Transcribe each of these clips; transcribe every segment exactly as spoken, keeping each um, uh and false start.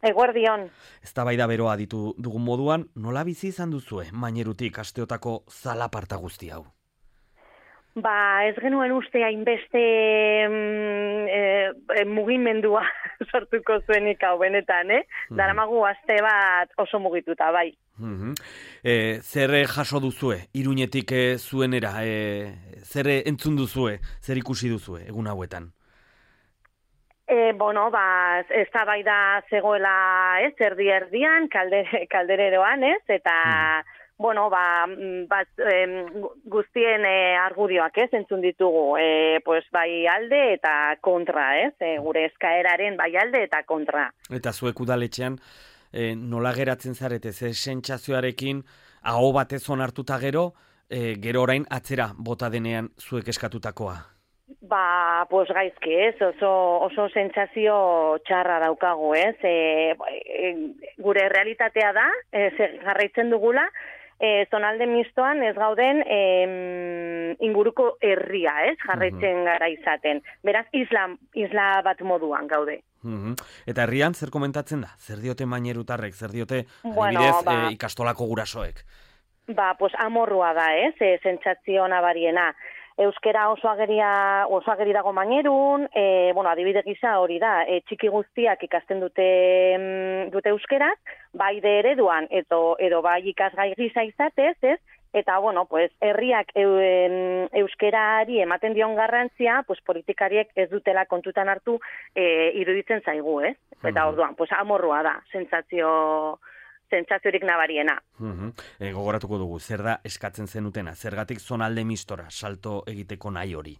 Eguerdion. Eztabaida beroa ditu dugun moduan, nola bizi izan duzue Mainerutik asteotako zalaparta guzti hau? Ba, ez genuen uste hainbeste mm, e, mugimendua sortuko zuenik hau benetan, eh? Mm. Daramagu aste bat oso mugituta, bai. Mm-hmm. E, zer jaso duzue, Iruñetik e, zuenera, e, zer entzun duzue, zer ikusi duzue egun hauetan? E, bueno, ba, ez da bai da zegoela, ez, erdi erdian, kaldere, kaldereroan, ez, eta, mm. bueno, ba, bat, e, guztien e, argudioak, ez, entzun ditugu, e, pues, bai alde eta kontra, ez, e, gure eskaeraren bai alde eta kontra. Eta zuek udaletxean, e, nola geratzen zarete, ze sentsazioarekin, aho batez onartuta gero, e, gero orain atzera bota denean zuek eskatutakoa? Ba, pues gaizki, ez, oso, oso sentsazio txarra daukagu, ez, e, e, gure realitatea da, e, jarraitzen dugula, e, zonalde mistoan ez gauden e, inguruko herria, ez, jarraitzen uh-huh. gara izaten. Beraz, isla, isla bat moduan gaude. Uh-huh. Eta herrian zer komentatzen da? Zer diote Mainerutarrek, zer diote bueno, adibidez ba, e, ikastolako gurasoek? Ba, pues amorrua da, ez, e, sentsazio nabariena. Euskera oso ageria, oso ageri dago Mainerun, e, bueno, adibide gisa hori da, e, txiki guztiak ikasten dute dute euskeraz, bai de ereduan, edo, edo bai ikasgai gisa izatez, ez? Eta, bueno, pues, herriak euen, euskerari ematen dion garrantzia, pues, politikariek ez dutela kontutan hartu e, iruditzen zaigu, ez? Eta orduan, pues, amorrua da, sentsazio... sentsaziorik nabariena. Uh-huh. E, gogoratuko dugu, zer da eskatzen zenutena? Zergatik zonalde mistora salto egiteko nahi hori?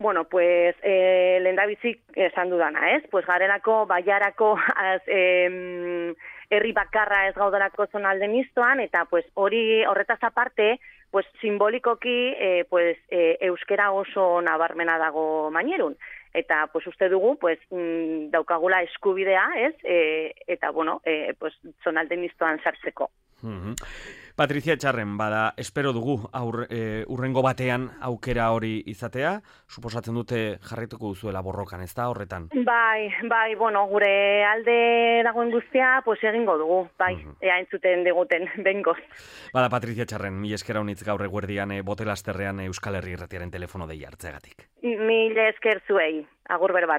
Bueno, pues, eh, lehendabizik esan dudana, ez? Pues, garelako, baiarako, az, eh, herri bakarra ez gaudelako zonalde mistoan, eta, pues, hori horretaz aparte, pues, simbolikoki, eh, pues, eh, euskera oso nabarmena dago Mainerun. Eta, pues, uste dugu, pues, mm, daukagula eskubidea, ez? E, eta, bueno, e, pues, zonalde mistoan sartzeko. Mm-hmm. Patricia Etxarren, bada, espero dugu aur, e, urrengo batean aukera hori izatea, suposatzen dute jarraituko duzuela borrokan, ez da horretan? Bai, bai, bueno, gure alde dagoen guztia, pues, egingo dugu, bai, mm-hmm. ea entzuten diguten, bengoz. Bada, Patricia Etxarren, mil esker haunitz gaur eguerdian e, Botelasterrean Euskal Herri Irratiaren telefono dei hartzegatik. Mil esker zuei, agur berbat.